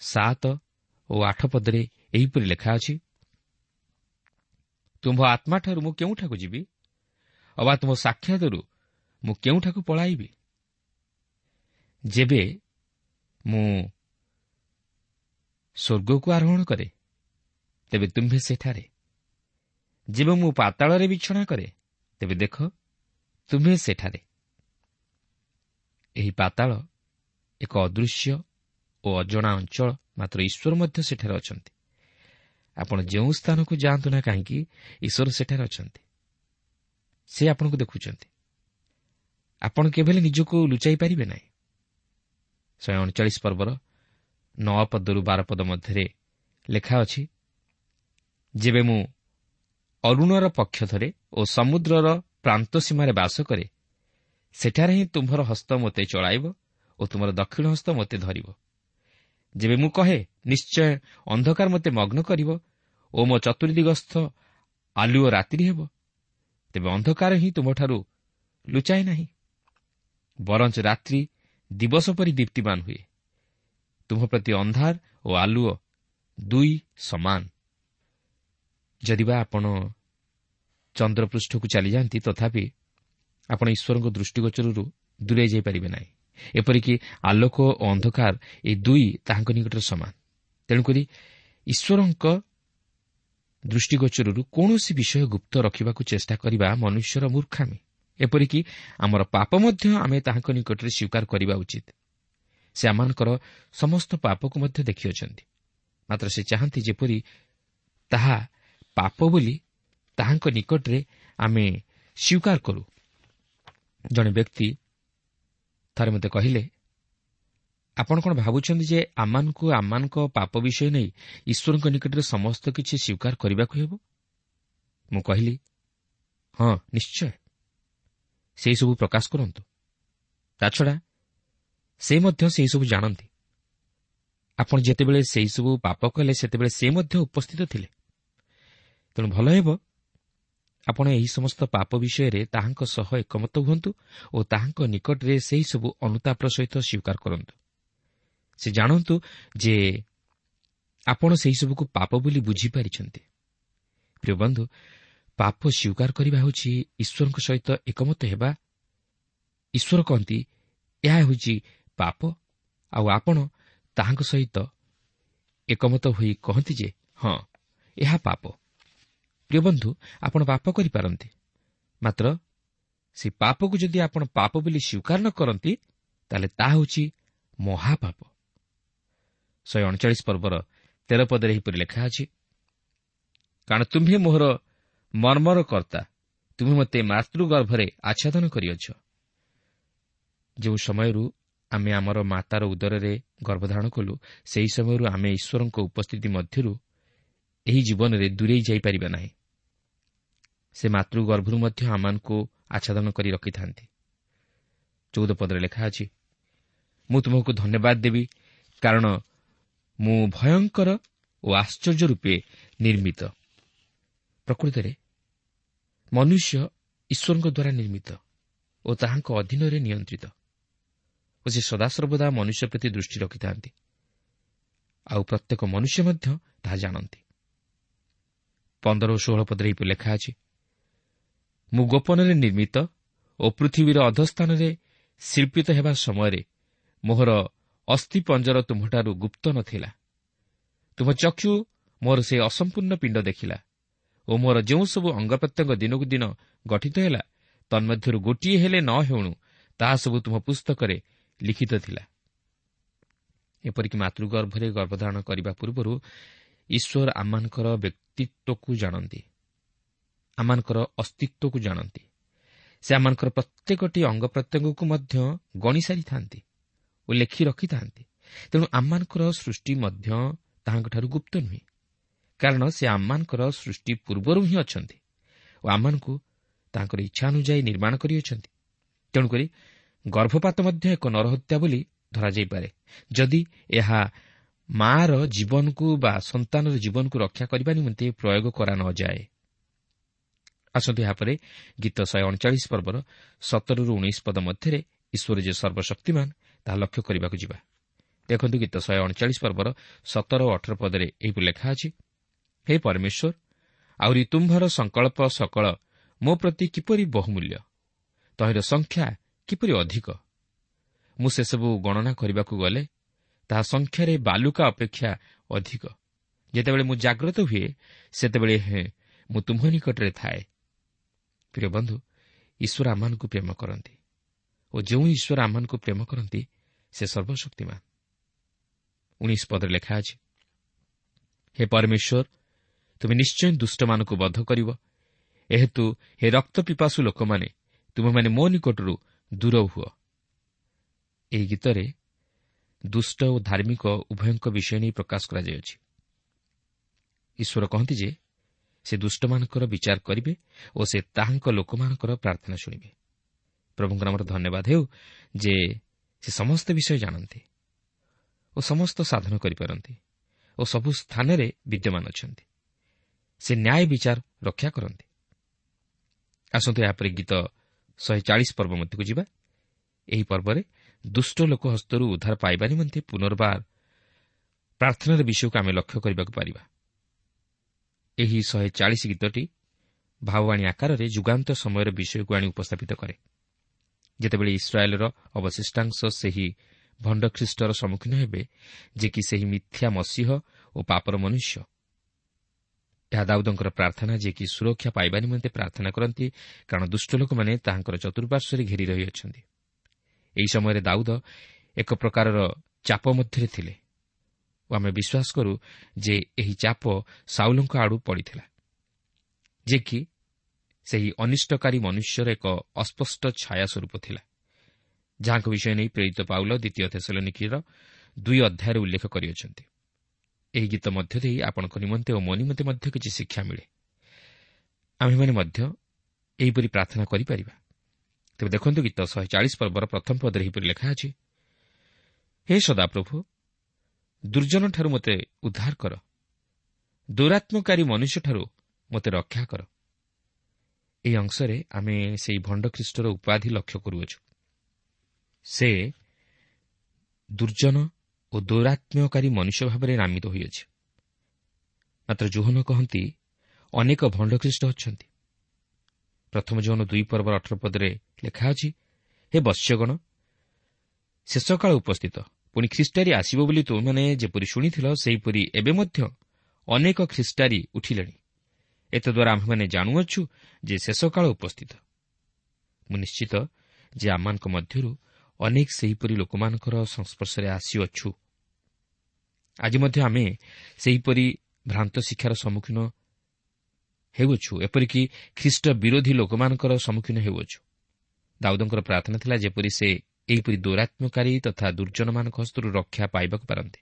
C: ସାତ ଓ ଆଠ ପଦରେ ଏହିପରି ଲେଖା ଅଛି, ତୁମ୍ଭ ଆତ୍ମାଠାରୁ ମୁଁ କେଉଁଠାକୁ ଯିବି, ଅବା ତୁମ ସାକ୍ଷାତରୁ ମୁଁ କେଉଁଠାକୁ ପଳାଇବି? ଯେବେ ମୁଁ ସ୍ୱର୍ଗକୁ ଆରୋହଣ କରେ, ତେବେ ତୁମ୍ଭେ ସେଠାରେ, ଯେବେ ମୁଁ ପାତାଳରେ ବିଛଣା କରେ, ତେବେ ଦେଖ ତୁମ୍ଭେ ସେଠାରେ। ଏହି ପାତାଳ ଏକ ଅଦୃଶ୍ୟ ଓ ଅଜଣା ଅଞ୍ଚଳ, ମାତ୍ର ଈଶ୍ୱର ମଧ୍ୟ ସେଠାରେ ଅଛନ୍ତି। ଆପଣ ଯେଉଁ ସ୍ଥାନକୁ ଯାଆନ୍ତୁ ନା କାହିଁକି, ଈଶ୍ୱର ସେଠାରେ ଅଛନ୍ତି। ସେ ଆପଣଙ୍କୁ ଦେଖୁଛନ୍ତି। ଆପଣ କେବେ ହେଲେ ନିଜକୁ ଲୁଚାଇ ପାରିବେ ନାହିଁ। ଶହେ ଅଣଚାଳିଶ ପର୍ବର ନଅ ପଦରୁ ବାର ପଦ ମଧ୍ୟରେ ଲେଖା ଅଛି, ଯେବେ ମୁଁ ଅରୁଣର ପକ୍ଷ ଧରେ ଓ ସମୁଦ୍ରର ପ୍ରାନ୍ତ ସୀମାରେ ବାସ କରେ, ସେଠାରେ ହିଁ ତୁମ୍ଭର ହସ୍ତ ମୋତେ ଚଳାଇବ ଓ ତୁମର ଦକ୍ଷିଣ ହସ୍ତ ମୋତେ ଧରିବ। ଯେବେ ମୁଁ କହେ, ନିଶ୍ଚୟ ଅନ୍ଧକାର ମୋତେ ମଗ୍ନ କରିବ ଓ ମୋ ଚତୁର୍ଦିଗସ୍ଥ ଆଲୁଅ ରାତ୍ରି ହେବ, ତେବେ ଅନ୍ଧକାର ହିଁ ତୁମଠାରୁ ଲୁଚାଏ ନାହିଁ, ବରଞ୍ଚ ରାତ୍ରି ଦିବସ ପରି ଦୀପ୍ତିମାନ ହୁଏ। ତୁମ ପ୍ରତି ଅନ୍ଧାର ଓ ଆଲୁଅ ଦୁଇ ସମାନ। ଯଦିବା ଆପଣ ଚନ୍ଦ୍ରପୃଷ୍ଠକୁ ଚାଲିଯାଆନ୍ତି, ତଥାପି ଆପଣ ଈଶ୍ୱରଙ୍କ ଦୃଷ୍ଟିଗୋଚରରୁ ଦୂରେଇ ଯାଇପାରିବେ ନାହିଁ। ଏପରିକି ଆଲୋକ ଓ ଅନ୍ଧକାର ଏ ଦୁଇ ତାହାଙ୍କ ନିକଟରେ ସମାନ। ତେଣୁକରି ଈଶ୍ୱରଙ୍କ ଦୃଷ୍ଟିଗୋଚରରୁ କୌଣସି ବିଷୟ ଗୁପ୍ତ ରଖିବାକୁ ଚେଷ୍ଟା କରିବା ମନୁଷ୍ୟର ମୂର୍ଖାମି। ଏପରିକି ଆମର ପାପ ମଧ୍ୟ ଆମେ ତାହାଙ୍କ ନିକଟରେ ସ୍ୱୀକାର କରିବା ଉଚିତ। ସେ ଆମମାନଙ୍କର ସମସ୍ତ ପାପକୁ ମଧ୍ୟ ଦେଖିଅଛନ୍ତି, ମାତ୍ର ସେ ଚାହାନ୍ତି ଯେପରି ତାହା ପାପ ବୋଲି ତାହାଙ୍କ ନିକଟରେ ଆମେ ସ୍ୱୀକାର କରୁ। ଜଣେ ବ୍ୟକ୍ତି ଥରେ ମୋତେ କହିଲେ, ଆପଣ କ'ଣ ଭାବୁଛନ୍ତି ଯେ ଆମମାନଙ୍କୁ ଆମମାନଙ୍କ ପାପ ବିଷୟ ନେଇ ଈଶ୍ୱରଙ୍କ ନିକଟରେ ସମସ୍ତ କିଛି ସ୍ୱୀକାର କରିବାକୁ ହେବ? ମୁଁ କହିଲି, ହଁ ନିଶ୍ଚୟ, ସେହିସବୁ ପ୍ରକାଶ କରନ୍ତୁ। ତାଛଡ଼ା ସେ ମଧ୍ୟ ସେହିସବୁ ଜାଣନ୍ତି। ଆପଣ ଯେତେବେଳେ ସେହିସବୁ ପାପ କଲେ, ସେତେବେଳେ ସେ ମଧ୍ୟ ଉପସ୍ଥିତ ଥିଲେ। ତେଣୁ ଭଲ ହେବ ଆପଣ ଏହି ସମସ୍ତ ପାପ ବିଷୟରେ ତାହାଙ୍କ ସହ ଏକମତ ହୁଅନ୍ତୁ ଓ ତାହାଙ୍କ ନିକଟରେ ସେହିସବୁ ଅନୁତାପର ସହିତ ସ୍ୱୀକାର କରନ୍ତୁ। ସେ ଜାଣନ୍ତୁ ଯେ ଆପଣ ସେହିସବୁକୁ ପାପ ବୋଲି ବୁଝିପାରିଛନ୍ତି। ପ୍ରିୟ ବନ୍ଧୁ, ପାପ ସ୍ୱୀକାର କରିବା ହେଉଛି ଈଶ୍ୱରଙ୍କ ସହିତ ଏକମତ ହେବା। ଈଶ୍ୱର କହନ୍ତି ଏହା ହେଉଛି ପାପ, ଆଉ ଆପଣ ତାହାଙ୍କ ସହିତ ଏକମତ ହୋଇ କହନ୍ତି ଯେ ହଁ, ଏହା ପାପ। ପ୍ରିୟ ବନ୍ଧୁ, ଆପଣ ପାପ କରିପାରନ୍ତି, ମାତ୍ର ସେ ପାପକୁ ଯଦି ଆପଣ ପାପ ବୋଲି ସ୍ୱୀକାର ନ କରନ୍ତି, ତାହେଲେ ତାହା ହେଉଛି ମହାପାପ। ଶହେ ଅଣଚାଳିଶ ପର୍ବର ତେର ପଦରେ ଏହିପରି ଲେଖା ଅଛି, କାରଣ ତୁମ୍ଭେ ମୋହର ମର୍ମର କର୍ତ୍ତା, ତୁମେ ମୋତେ ମାତୃଗର୍ଭରେ ଆଚ୍ଛାଦନ କରିଅଛ। ଯେଉଁ ସମୟରୁ ଆମେ ଆମର ମାତାର ଉଦରରେ ଗର୍ଭଧାରଣ କଲୁ, ସେହି ସମୟରୁ ଆମେ ଈଶ୍ୱରଙ୍କ ଉପସ୍ଥିତି ମଧ୍ୟରୁ ଏହି ଜୀବନରେ ଦୂରେଇ ଯାଇପାରିବା ନାହିଁ। ସେ ମାତୃଗର୍ଭରୁ ମଧ୍ୟ ଆମମାନଙ୍କୁ ଆଚ୍ଛାଦନ କରି ରଖିଥାନ୍ତି। ଚଉଦ ପଦରେ ଲେଖା ଅଛି, ମୁଁ ତୁମକୁ ଧନ୍ୟବାଦ ଦେବି, କାରଣ ମୁଁ ଭୟଙ୍କର ଓ ଆଶ୍ଚର୍ଯ୍ୟ ରୂପେ ନିର୍ମିତ। ପ୍ରକୃତରେ ମନୁଷ୍ୟ ଈଶ୍ୱରଙ୍କ ଦ୍ୱାରା ନିର୍ମିତ ଓ ତାହାଙ୍କ ଅଧୀନରେ ନିୟନ୍ତ୍ରିତ, ଓ ସେ ସଦାସର୍ବଦା ମନୁଷ୍ୟ ପ୍ରତି ଦୃଷ୍ଟି ରଖିଥାନ୍ତି, ଆଉ ପ୍ରତ୍ୟେକ ମନୁଷ୍ୟ ମଧ୍ୟ ତାହା ଜାଣନ୍ତି। ପନ୍ଦର ଓ ଷୋହଳ ପଦରେ ଏହିପରି ଲେଖା ଅଛି, ମୁଁ ଗୋପନରେ ନିର୍ମିତ ଓ ପୃଥିବୀର ଅଧସ୍ଥାନରେ ଶିଳ୍ପିତ ହେବା ସମୟରେ ମୋହର ଅସ୍ଥିପଞ୍ଜର ତୁମ୍ଭଠାରୁ ଗୁପ୍ତ ନଥିଲା। ତୁମ ଚକ୍ଷୁ ମୋର ସେ ଅସମ୍ପୂର୍ଣ୍ଣ ପିଣ୍ଡ ଦେଖିଲା ଓ ମୋର ଯେଉଁ ସବୁ ଅଙ୍ଗ ପ୍ରତ୍ୟଙ୍ଗ ଦିନକୁ ଦିନ ଗଠିତ ହେଲା, ତନ୍ମଧ୍ୟରୁ ଗୋଟିଏ ହେଲେ ନ ହେଉଣୁ ତାହା ସବୁ ତୁମ ପୁସ୍ତକରେ ଲିଖିତ ଥିଲା। ଏପରିକି ମାତୃଗର୍ଭରେ ଗର୍ଭଧାରଣ କରିବା ପୂର୍ବରୁ ଈଶ୍ୱର ଆମମାନଙ୍କର ବ୍ୟକ୍ତିତ୍ୱକୁ ଜାଣନ୍ତି, ଆମମାନଙ୍କର ଅସ୍ତିତ୍ୱକୁ ଜାଣନ୍ତି। ସେ ଆମମାନଙ୍କର ପ୍ରତ୍ୟେକଟି ଅଙ୍ଗ ପ୍ରତ୍ୟଙ୍ଗକୁ ମଧ୍ୟ ଗଣି ସାରିଥାନ୍ତି ଓ ଲେଖି ରଖିଥାନ୍ତି। ତେଣୁ ଆମମାନଙ୍କର ସୃଷ୍ଟି ମଧ୍ୟ ତାହାଙ୍କଠାରୁ ଗୁପ୍ତ ନୁହେଁ, କାରଣ ସେ ଆମମାନଙ୍କର ସୃଷ୍ଟି ପୂର୍ବରୁ ହିଁ ଅଛନ୍ତି ଓ ଆମମାନଙ୍କୁ ତାଙ୍କର ଇଚ୍ଛା ଅନୁଯାୟୀ ନିର୍ମାଣ କରିଅଛନ୍ତି। ତେଣୁକରି ଗର୍ଭପାତ ମଧ୍ୟ ଏକ ନରହତ୍ୟା ବୋଲି ଧରାଯାଇପାରେ, ଯଦି ଏହା ମାଆର ଜୀବନକୁ ବା ସନ୍ତାନର ଜୀବନକୁ ରକ୍ଷା କରିବା ନିମନ୍ତେ ପ୍ରୟୋଗ କରା ନଯାଏ। ଆସନ୍ତୁ ଏହାପରେ ଗୀତ ଶହେ ଅଣଚାଳିଶ ପର୍ବର ସତରରୁ ଉଣେଇଶ ପଦ ମଧ୍ୟରେ ଈଶ୍ୱର ଯେ ସର୍ବଶକ୍ତିମାନ ତାହା ଲକ୍ଷ୍ୟ କରିବାକୁ ଯିବା। ଦେଖନ୍ତୁ ଗୀତ ଶହେ ଅଣଚାଳିଶ ପର୍ବର ସତର ଓ ଅଠର ପଦରେ ଏହିପରି ଲେଖା ଅଛି, ହେ ପରମେଶ୍ୱର, ଆହୁରି ତୁମ୍ଭର ସଂକଳ୍ପ ସକଳ ମୋ ପ୍ରତି କିପରି ବହୁମୂଲ୍ୟ, ତହିଁର ସଂଖ୍ୟା କିପରି ଅଧିକ! ମୁଁ ସେସବୁ ଗଣନା କରିବାକୁ ଗଲେ ତାହା ସଂଖ୍ୟାରେ ବାଲୁକା ଅପେକ୍ଷା ଅଧିକ। ଯେତେବେଳେ ମୁଁ ଜାଗ୍ରତ ହୁଏ, ସେତେବେଳେ ହେଁ ମୁଁ ତୁମ୍ଭ ନିକଟରେ ଥାଏ। ପ୍ରିୟ ବନ୍ଧୁ, ଈଶ୍ୱର ଆମମାନଙ୍କୁ ପ୍ରେମ କରନ୍ତି ଓ ଯେଉଁ ଈଶ୍ୱର ଆମମାନଙ୍କୁ ପ୍ରେମ କରନ୍ତି ସେ ସର୍ବଶକ୍ତିମାନ। ଉଣେଇଶ ପଦରେ ଲେଖା ଅଛି, ହେ ପରମେଶ୍ୱର, ତୁମେ ନିଶ୍ଚୟ ଦୁଷ୍ଟମାନଙ୍କୁ ବଧ କରିବ, ଏହେତୁ ହେ ରକ୍ତ ପିପାସୁ ଲୋକମାନେ, ତୁମେମାନେ ମୋ ନିକଟରୁ ଦୂର ହୁଅ। ଏହି ଗୀତରେ ଦୁଷ୍ଟ ଓ ଧାର୍ମିକ ଉଭୟଙ୍କ ବିଷୟ ନେଇ ପ୍ରକାଶ କରାଯାଇଅଛି। ଈଶ୍ୱର କହନ୍ତି ଯେ ସେ ଦୁଷ୍ଟମାନଙ୍କର ବିଚାର କରିବେ ଓ ସେ ତାହାଙ୍କ ଲୋକମାନଙ୍କର ପ୍ରାର୍ଥନା ଶୁଣିବେ। ପ୍ରଭୁଙ୍କ ନାମର ଧନ୍ୟବାଦ ହେଉ ଯେ ସେ ସମସ୍ତ ବିଷୟ ଜାଣନ୍ତି ଓ ସମସ୍ତ ସାଧନ କରିପାରନ୍ତି ଓ ସବୁ ସ୍ଥାନରେ ବିଦ୍ୟମାନ ଅଛନ୍ତି। ସେ ନ୍ୟାୟ ବିଚାର ରକ୍ଷା କରନ୍ତି। ଆସନ୍ତୁ ଏହାପରେ ଗୀତ ଶହେ ଚାଳିଶ ପର୍ବ ମଧ୍ୟକୁ ଯିବା। ଏହି ପର୍ବରେ ଦୁଷ୍ଟ ଲୋକ ହସ୍ତରୁ ଉଦ୍ଧାର ପାଇବା ନିମନ୍ତେ ପୁନର୍ବାର ପ୍ରାର୍ଥନାର ବିଷୟକୁ ଆମେ ଲକ୍ଷ୍ୟ କରିବାକୁ ପାରିବା। ଏହି ଶହେ ଚାଳିଶ ଗୀତଟି ଭାବବାଣୀ ଆକାରରେ ଯୁଗାନ୍ତ ସମୟର ବିଷୟକୁ ଆଣି ଉପସ୍ଥାପିତ କରେ, ଯେତେବେଳେ ଇସ୍ରାଏଲର ଅବଶିଷ୍ଟାଂଶ ସେହି ଭଣ୍ଡ ଖ୍ରୀଷ୍ଟର ସମ୍ମୁଖୀନ ହେବେ, ଯେ କି ସେହି ମିଥ୍ୟା ମସିହ ଓ ପାପର ମନୁଷ୍ୟ। ଏହା ଦାଉଦଙ୍କର ପ୍ରାର୍ଥନା, ଯେ କି ସୁରକ୍ଷା ପାଇବା ନିମନ୍ତେ ପ୍ରାର୍ଥନା କରନ୍ତି, କାରଣ ଦୁଷ୍ଟ ଲୋକମାନେ ତାହାଙ୍କର ଚତୁଃପାର୍ଶ୍ୱରେ ଘେରି ରହିଅଛନ୍ତି। ଏହି ସମୟରେ ଦାଉଦ ଏକ ପ୍ରକାରର ଚାପ ମଧ୍ୟରେ ଥିଲେ ଓ ଆମେ ବିଶ୍ୱାସ କରୁ ଯେ ଏହି ଚାପ ସାଉଲଙ୍କ ଆଡ଼ୁ ପଡ଼ିଥିଲା, ଯେ କି ସେହି ଅନିଷ୍ଟକାରୀ ମନୁଷ୍ୟର ଏକ ଅସ୍ପଷ୍ଟ ଛାୟା ସ୍ୱରୂପ ଥିଲା, ଯାହାଙ୍କ ବିଷୟ ନେଇ ପ୍ରେରିତ ପାଉଲ ଦ୍ୱିତୀୟ ଥେସଲନିକୀର ଦୁଇ ଅଧ୍ୟାୟରେ ଉଲ୍ଲେଖ କରିଅଛନ୍ତି। ଏହି ଗୀତ ମଧ୍ୟ ଦେଇ ଆପଣଙ୍କ ନିମନ୍ତେ ଓ ମୋ ନିମନ୍ତେ ମଧ୍ୟ କିଛି ଶିକ୍ଷା ମିଳେ। ଆମ୍ଭେମାନେ ମଧ୍ୟ ଏହିପରି ପ୍ରାର୍ଥନା କରିପାରିବା। ତେବେ ଦେଖନ୍ତୁ ଗୀତ ଶହେ ଚାଳିଶ ପର୍ବର ପ୍ରଥମ ପଦରେ ଏହିପରି ଲେଖା ଅଛି, ହେ ସଦାପ୍ରଭୁ, ଦୁର୍ଜନଠାରୁ ମୋତେ ଉଦ୍ଧାର କର, ଦୌରାତ୍ମକାରୀ ମନୁଷ୍ୟଠାରୁ ମୋତେ ରକ୍ଷା କର। ଏହି ଅଂଶରେ ଆମେ ସେହି ଭଣ୍ଡ ଖ୍ରୀଷ୍ଟର ଉପାଧି ଲକ୍ଷ୍ୟ କରୁଅଛୁ। ସେ ଦୁର୍ଜନ ଓ ଦୌରାତ୍ମ୍ୟକାରୀ ମନୁଷ୍ୟ ଭାବରେ ନାମିତ ହୋଇଅଛି। ମାତ୍ର ଯୋହନ କହନ୍ତି ଅନେକ ଭଣ୍ଡ ଖ୍ରୀଷ୍ଟ ଅଛନ୍ତି। ପ୍ରଥମ ଯୋହନ ଦୁଇ ପର୍ବର ଅଠର ପଦରେ ଲେଖା ଅଛି, ହେ ବତ୍ସ୍ୟଗଣ, ଶେଷକାଳ ଉପସ୍ଥିତ, ପୁଣି ଖ୍ରୀଷ୍ଟାରୀ ଆସିବ ବୋଲି ତୁମେମାନେ ଯେପରି ଶୁଣିଥିଲ, ସେହିପରି ଏବେ ମଧ୍ୟ ଅନେକ ଖ୍ରୀଷ୍ଟାରୀ ଉଠିଲେଣି। ଏତଦ୍ୱାରା ଆମ୍ଭେମାନେ ଜାଣୁଅଛୁ ଯେ ଶେଷକାଳ ଉପସ୍ଥିତ। ମୁଁ ନିଶ୍ଚିତ ଯେ ଆମମାନଙ୍କ ମଧ୍ୟରୁ ଅନେକ ସେହିପରି ଲୋକମାନଙ୍କର ସଂସ୍ପର୍ଶରେ ଆସିଅଛୁ। ଆଜି ମଧ୍ୟ ଆମେ ସେହିପରି ଭ୍ରାନ୍ତ ଶିକ୍ଷାର ସମ୍ମୁଖୀନ ହେଉଅଛୁ, ଏପରିକି ଖ୍ରୀଷ୍ଟ ବିରୋଧୀ ଲୋକମାନଙ୍କର ସମ୍ମୁଖୀନ ହେଉଅଛୁ। ଦାଉଦଙ୍କର ପ୍ରାର୍ଥନା ଥିଲା ଯେପରି ସେ ଏହିପରି ଦୌରାତ୍ମ୍ୟକାରୀ ତଥା ଦୁର୍ଜନମାନଙ୍କ ହସ୍ତରୁ ରକ୍ଷା ପାଇବାକୁ ପାରନ୍ତି।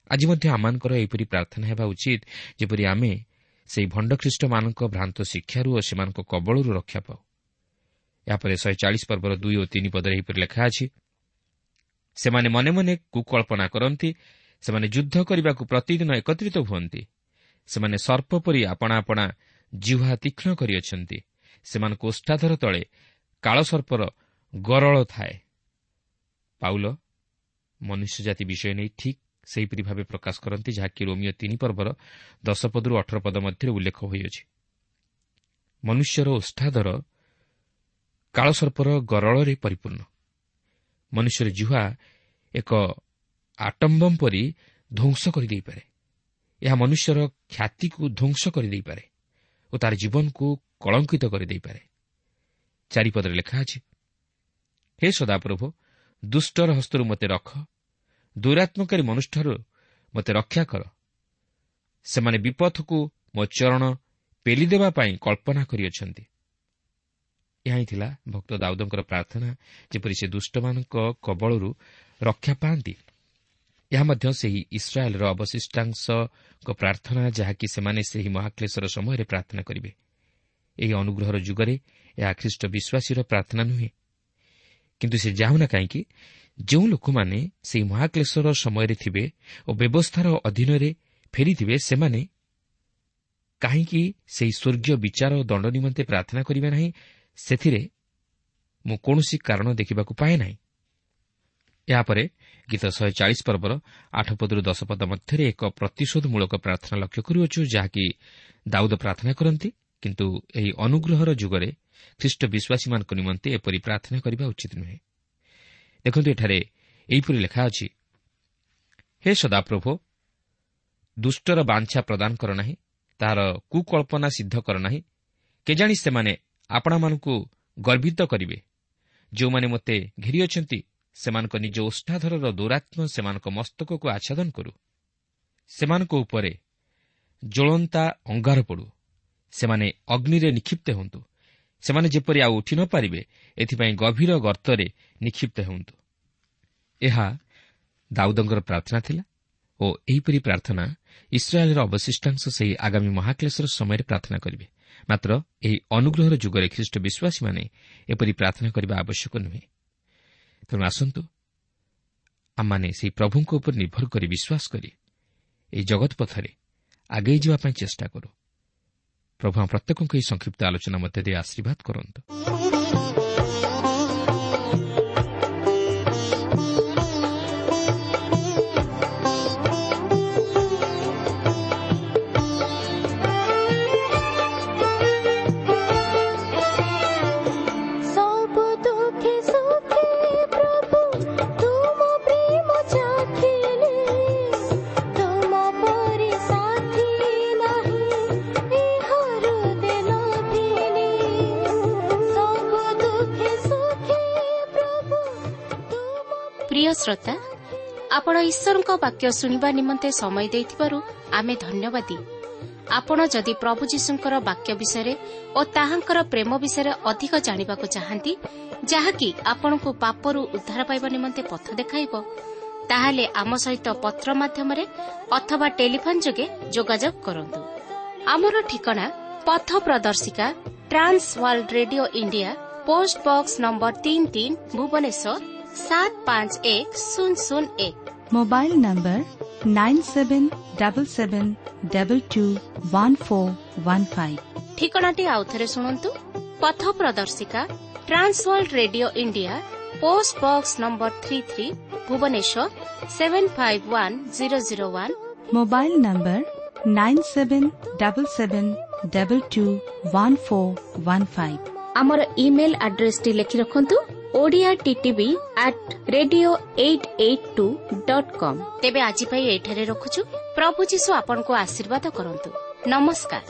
C: ଆଜି ମଧ୍ୟ ଆମମାନଙ୍କର ଏହିପରି ପ୍ରାର୍ଥନା ହେବା ଉଚିତ, ଯେପରି ଆମେ ସେହି ଭଣ୍ଡଖ୍ରୀଷ୍ଟମାନଙ୍କ ଭ୍ରାନ୍ତ ଶିକ୍ଷାରୁ ଓ ସେମାନଙ୍କ କବଳରୁ ରକ୍ଷା ପାଉ। ଏହାପରେ ଶହେ ଚାଳିଶ ପର୍ବର ଦୁଇ ଓ ତିନି ପଦରେ ଏହିପରି ଲେଖା ଅଛି, ସେମାନେ ମନେ ମନେ କୁକଳ୍ପନା କରନ୍ତି, ସେମାନେ ଯୁଦ୍ଧ କରିବାକୁ ପ୍ରତିଦିନ ଏକତ୍ରିତ ହୁଅନ୍ତି, ସେମାନେ ସର୍ପ ପରି ଆପଣା ଆପଣା ଜିହ୍ୱା ତୀକ୍ଷ୍ଣ କରିଅଛନ୍ତି, ସେମାନଙ୍କ ଓଷ୍ଠାଧର ତଳେ କାଳସର୍ପର ଗରଳ ଥାଏ। ପାଉଲ ମନୁଷ୍ୟ ଜାତି ବିଷୟ ନେଇ ଠିକ୍ ସେହିପରି ଭାବେ ପ୍ରକାଶ କରନ୍ତି, ଯାହାକି ରୋମିଓ ତିନି ପର୍ବର ଦଶ ପଦରୁ ଅଠର ପଦ ମଧ୍ୟରେ ଉଲ୍ଲେଖ ହୋଇଅଛି। ମନୁଷ୍ୟର ଓଷ୍ଠାଧର କାଳସର୍ପର ଗରଳରେ ପରିପୂର୍ଣ୍ଣ। ମନୁଷ୍ୟର ଜିହ୍ୱା ଏକ ଆଟମ୍ବମ୍ ପରି ଧ୍ୱଂସ କରିଦେଇପାରେ। ଏହା ମନୁଷ୍ୟର ଖ୍ୟାତିକୁ ଧ୍ୱଂସ କରିଦେଇପାରେ ଓ ତାର ଜୀବନକୁ କଳଙ୍କିତ କରିଦେଇପାରେ। ଚାରିପଦରେ ଲେଖା ଅଛି, ହେ ସଦାପ୍ରଭୁ, ଦୁଷ୍ଟର ହସ୍ତରୁ ମୋତେ ରଖ, ଦୌରାତ୍ମକାରୀ ମନୁଷ୍ୟଠାରୁ ମୋତେ ରକ୍ଷା କର। ସେମାନେ ବିପଥକୁ ମୋ ଚରଣ ପେଲିଦେବା ପାଇଁ କଳ୍ପନା କରିଅଛନ୍ତି। ଏହା ହିଁ ଥିଲା ଭକ୍ତ ଦାଉଦଙ୍କର ପ୍ରାର୍ଥନା, ଯେପରି ସେ ଦୁଷ୍ଟମାନଙ୍କ କବଳରୁ ରକ୍ଷା ପାଆନ୍ତି। ଏହା ମଧ୍ୟ ସେହି ଇସ୍ରାଏଲ୍ର ଅବଶିଷ୍ଟାଂଶଙ୍କ ପ୍ରାର୍ଥନା, ଯାହାକି ସେମାନେ ସେହି ମହାକ୍ଲେଶର ସମୟରେ ପ୍ରାର୍ଥନା କରିବେ। ଏହି ଅନୁଗ୍ରହର ଯୁଗରେ ଏହା ଖ୍ରୀଷ୍ଟ ବିଶ୍ୱାସୀର ପ୍ରାର୍ଥନା ନୁହେଁ, କିନ୍ତୁ ସେ ଯାଉନା କାହିଁକି, ଯେଉଁ ଲୋକମାନେ ସେହି ମହାକ୍ଲେଶର ସମୟରେ ଥିବେ ଓ ବ୍ୟବସ୍ଥାର ଅଧୀନରେ ଫେରିଥିବେ, ସେମାନେ କାହିଁକି ସେହି ସ୍ୱର୍ଗୀୟ ବିଚାର ଓ ଦଣ୍ଡ ନିମନ୍ତେ ପ୍ରାର୍ଥନା କରିବେ ନାହିଁ, ସେଥିରେ ମୁଁ କୌଣସି କାରଣ ଦେଖିବାକୁ ପାଏ ନାହିଁ। ଏହାପରେ ଗୀତ ଶହେ ଚାଳିଶ ପର୍ବର ଆଠ ପଦରୁ ଦଶ ପଦ ମଧ୍ୟରେ ଏକ ପ୍ରତିଶୋଧମୂଳକ ପ୍ରାର୍ଥନା ଲକ୍ଷ୍ୟ କରୁଅଛୁ, ଯାହାକି ଦାଉଦ ପ୍ରାର୍ଥନା କରନ୍ତି। କିନ୍ତୁ ଏହି ଅନୁଗ୍ରହର ଯୁଗରେ ଖ୍ରୀଷ୍ଟ ବିଶ୍ୱାସୀମାନଙ୍କ ନିମନ୍ତେ ଏପରି ପ୍ରାର୍ଥନା କରିବା ଉଚିତ ନୁହେଁ। ଦେଖନ୍ତୁ, ଏଠାରେ ଏହିପରି ଲେଖା ଅଛି, ହେ ସଦାପ୍ରଭୋ, ଦୁଷ୍ଟର ବାଞ୍ଛା ପ୍ରଦାନ କର ନାହିଁ, ତାହାର କୁକଳ୍ପନା ସିଦ୍ଧ କର ନାହିଁ। କେଜାଣି ସେମାନେ ଆପଣମାନଙ୍କୁ ଗର୍ବିତ କରିବେ। ଯେଉଁମାନେ ମୋତେ ଘେରିଅଛନ୍ତି ସେମାନଙ୍କ ନିଜ ଓଷ୍ଠାଧରର ଦୌରାତ୍ମ୍ୟ ସେମାନଙ୍କ ମସ୍ତକକୁ ଆଚ୍ଛାଦନ କରୁ। ସେମାନଙ୍କ ଉପରେ ଜ୍ୱଳନ୍ତା ଅଙ୍ଗାର ପଡ଼ୁ, ସେମାନେ ଅଗ୍ନିରେ ନିକ୍ଷିପ୍ତ ହୁଅନ୍ତୁ। ସେମାନେ ଯେପରି ଆଉ ଉଠି ନ ପାରିବେ, ଏଥିପାଇଁ ଗଭୀର ଗର୍ତ୍ତରେ ନିକ୍ଷିପ୍ତ ହୁଅନ୍ତୁ। ଏହା ଦାଉଦଙ୍କର ପ୍ରାର୍ଥନା ଥିଲା ଓ ଏହିପରି ପ୍ରାର୍ଥନା ଇସ୍ରାଏଲ୍ର ଅବଶିଷ୍ଟାଂଶ ସେହି ଆଗାମୀ ମହାକ୍ଲେଶର ସମୟରେ ପ୍ରାର୍ଥନା କରିବେ। ମାତ୍ର ଏହି ଅନୁଗ୍ରହର ଯୁଗରେ ଖ୍ରୀଷ୍ଟ ବିଶ୍ୱାସୀମାନେ ଏପରି ପ୍ରାର୍ଥନା କରିବା ଆବଶ୍ୟକ ନୁହେଁ। ତେଣୁ ଆସନ୍ତୁ ଆମମାନେ ସେହି ପ୍ରଭୁଙ୍କ ଉପରେ ନିର୍ଭର କରି ବିଶ୍ୱାସ କରି ଏହି ଜଗତ ପଥରେ ଆଗେଇ ଯିବା ପାଇଁ ଚେଷ୍ଟା କରୁ। ପ୍ରଭୁ ଆମ ପ୍ରତ୍ୟେକଙ୍କୁ ଏହି ସଂକ୍ଷିପ୍ତ ଆଲୋଚନା ମଧ୍ୟ ଦେଇ ଆଶୀର୍ବାଦ କରନ୍ତୁ।
A: ପ୍ରିୟ ଶ୍ରୋତା, ଆପଣ ଈଶ୍ୱରଙ୍କ ବାକ୍ୟ ଶୁଣିବା ନିମନ୍ତେ ସମୟ ଦେଇଥିବାରୁ ଆମେ ଧନ୍ୟବାଦୀ। ଆପଣ ଯଦି ପ୍ରଭୁ ଯୀଶୁଙ୍କର ବାକ୍ୟ ବିଷୟରେ ଓ ତାହାଙ୍କର ପ୍ରେମ ବିଷୟରେ ଅଧିକ ଜାଣିବାକୁ ଚାହାନ୍ତି, ଯାହାକି ଆପଣଙ୍କୁ ପାପରୁ ଉଦ୍ଧାର ପାଇବା ନିମନ୍ତେ ପଥ ଦେଖାଇବ, ତାହେଲେ ଆମ ସହିତ ପତ୍ର ମାଧ୍ୟମରେ ଅଥବା ଟେଲିଫୋନ୍ ଯୋଗେ ଯୋଗାଯୋଗ କରନ୍ତୁ। ଆମର ଠିକଣା ପଥ ପ୍ରଦର୍ଶିକା, Trans World Radio India, post box number ତିନି ତିନି, ଭୁବନେଶ୍ୱର ସାତ ପାଞ୍ଚ ଏକ ଶୂନ ଶୂନ ଏକ।
D: Mobile number nine seven double seven double two one four one five.
A: ଠିକଣାଟି ଆଉଥରେ ଶୁଣନ୍ତୁ। ପଥ ପ୍ରଦର୍ଶିକା, Trans World Radio India, post box number three three, Bhubaneswar seven five one zero zero one.
D: Mobile number nine seven double seven double two one four one five.
A: ଆମର email ଆଡ୍ରେସଟି ଲେଖି ରଖନ୍ତୁ, Odia TTV at radio eight eight two dot com. ତେବେ ଆଜି ପାଇଁ ଏଠାରେ ରଖୁଛୁ। ପ୍ରଭୁ ଯୀଶୁ ଆପଣଙ୍କୁ ଆଶୀର୍ବାଦ କରନ୍ତୁ। ନମସ୍କାର।